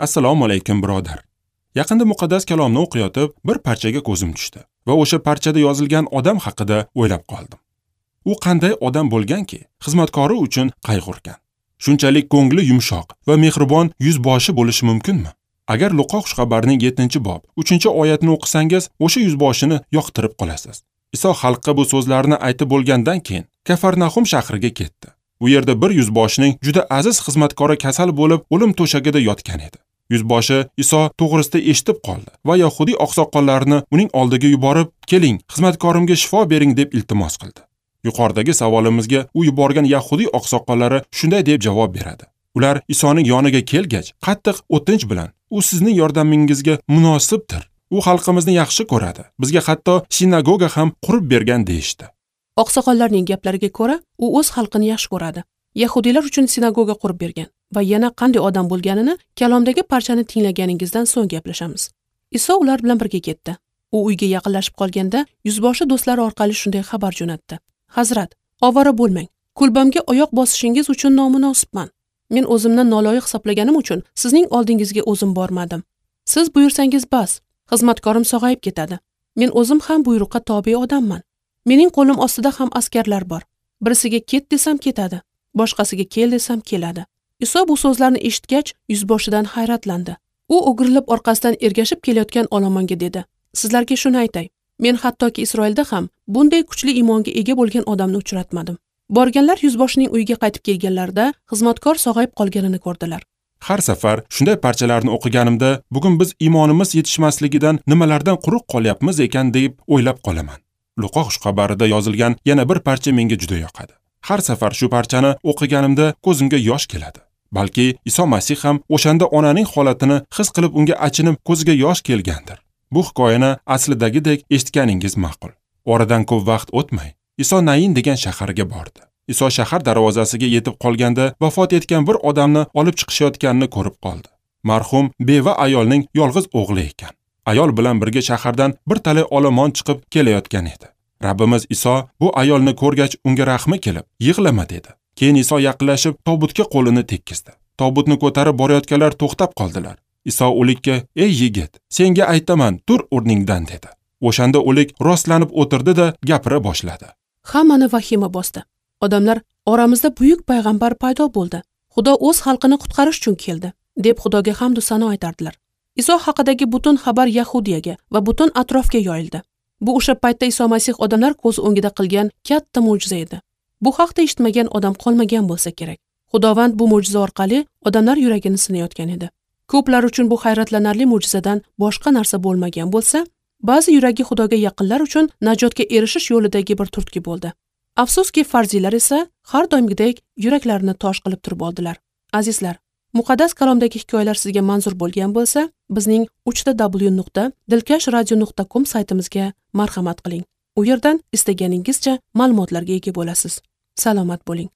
Assalomu alaykum, birodar. Yaqinda muqaddas kalomni o'qiyotib, bir parchaga ko'zim tushdi va o'sha parchada yozilgan odam haqida o'ylab qoldim. U qanday odam bo'lganki, xizmatkori uchun qayg'urgan. Shunchalik ko'ngli yumshoq va mehribon yuzboshi bo'lishi mumkinmi? Agar Luqo xushxabarining 7-bob 3-oyatini o'qisangiz, o'sha yuzboshini yoqtirib qolasiz. Iso xalqqa bu so'zlarni aytib bo'lgandan keyin Kafarnahum shahriga ketdi. U yerda bir yuzboshining juda aziz xizmatkori kasal bo'lib, o'lim to'shagida yotgan edi. Yuzboshi Iso to'g'risida eshitib qoldi va yahudiy oqsoqollarini uning oldiga yuborib, "Keling, xizmatkorimga shifo bering" deb iltimos qildi. Yuqoridagi savolimizga u yuborgan yahudiy oqsoqollari shunday deb javob beradi. Ular Isoning yoniga kelgach, qattiq o'tinch bilan, "U sizning yordamingizga munosibdir. U xalqimizni yaxshi ko'radi. Bizga hatto sinagoga ham qurib bergan" deyishdi. Oqsoqollarning gaplariga ko'ra, u o'z xalqini yaxshi ko'radi. Yahudiylar uchun sinagoga qurib bergan va yana qanday odam bo'lganini kalomdagi parchani tinglaganingizdan so'ng gaplashamiz. Iso ular bilan birga ketdi. U uyga yaqinlashib qolganda yuzboshi do'stlari orqali shunday xabar jo'natdi: "Hazrat, ovora bo'lmang. Kulbamga oyoq bosishingiz uchun nomunosibman. Men o'zimni noloyiq hisoblaganim uchun sizning oldingizga o'zim bormadim. Siz buyursangiz bas, xizmatkorim sog'ayib ketadi. Men o'zim ham buyruqqa tobe odamman. Mening qo'lim ostida ham askarlar bor. Birisiga ket desam ketadi, boshqasiga kel desam keladi." Iso bu so'zlarni eshitgach, yuzboshidan hayratlandi. U o'girilib orqasidan ergashib kelayotgan olomonga dedi: "Sizlarga shuni aytay, men hattoki Isroilda ham bunday kuchli iymonga ega bo'lgan odamni uchratmadim." Borganlar yuzboshining uyiga qaytib kelganlarida xizmatkor sog'ayib qolganini ko'rdilar. Har safar shunday parchalarni o'qiganimda, bugun biz iymonimiz yetishmasligidan nimalardan quruq qolyapmiz ekan deb o'ylab qolaman. Luqo xushxabarida yozilgan yana bir parcha menga juda yoqadi. Har safar shu parchani o'qiganimda ko'zimga yosh keladi. Balki Iso Masih ham o'shanda onaning holatini his qilib unga achinib ko'ziga yosh kelgandir. Bu hikoyani aslidagidek eshitganingiz ma'qul. Oradan ko'p vaqt o'tmay, Iso Nain degan shaharga bordi. Iso shahar darvozasiga yetib qolganda vafot etgan bir odamni olib chiqishayotganini ko'rib qoldi. Marhum beva ayolning yolg'iz o'g'li ekan. Ayol bilan birga shahardan bir talay olomon chiqib kelayotgan edi. Rabbimiz Iso bu ayolni ko'rgach unga rahmi kelib, "Yig'lama" dedi. Keyin Iso yaqinlashib tobutga qo'lini tekkizdi. Tobutni ko'tarib borayotganlar to'xtab qoldilar. Iso o'likka: "Ey yigit, senga aytaman, tur o'rningdan" dedi. O'shanda o'lik rostlanib o'tirdi-da gapira boshladi. Hammani vahima bosdi. Odamlar: "Oramizda buyuk payg'ambar paydo bo'ldi. Xudo o'z xalqini qutqarish uchun keldi" deb Xudoga hamd va sano aytardilar. Iso haqidagi butun xabar Yahudiyaga va butun atrofga yoyildi. Bu o'sha paytda Iso Masih odamlar ko'z o'ngida qilgan katta mo'jiza edi. Bu haqda eshitmagan odam qolmagan bo'lsa kerak. Xudovand bu mo'jiza orqali odamlar yuragini sinayotgan edi. Ko'plar uchun bu hayratlanarli mo'jizadan boshqa narsa bo'lmagan bo'lsa, ba'zi yuragi Xudoga yaqinlar uchun najotga erishish yo'lidagi bir turtki bo'ldi. Afsuski, farziylar esa har doimgidek yuraklarini tosh qilib turib oldilar. Azizlar, muqaddas kalomdagi hikoyalar sizga manzur bo'lgan bo'lsa, bizning www.dilkashradio.com saytimizga marhamat qiling. U yerdan istaganingizcha ma'lumotlarga ega bo'lasiz. Salomat bo'ling.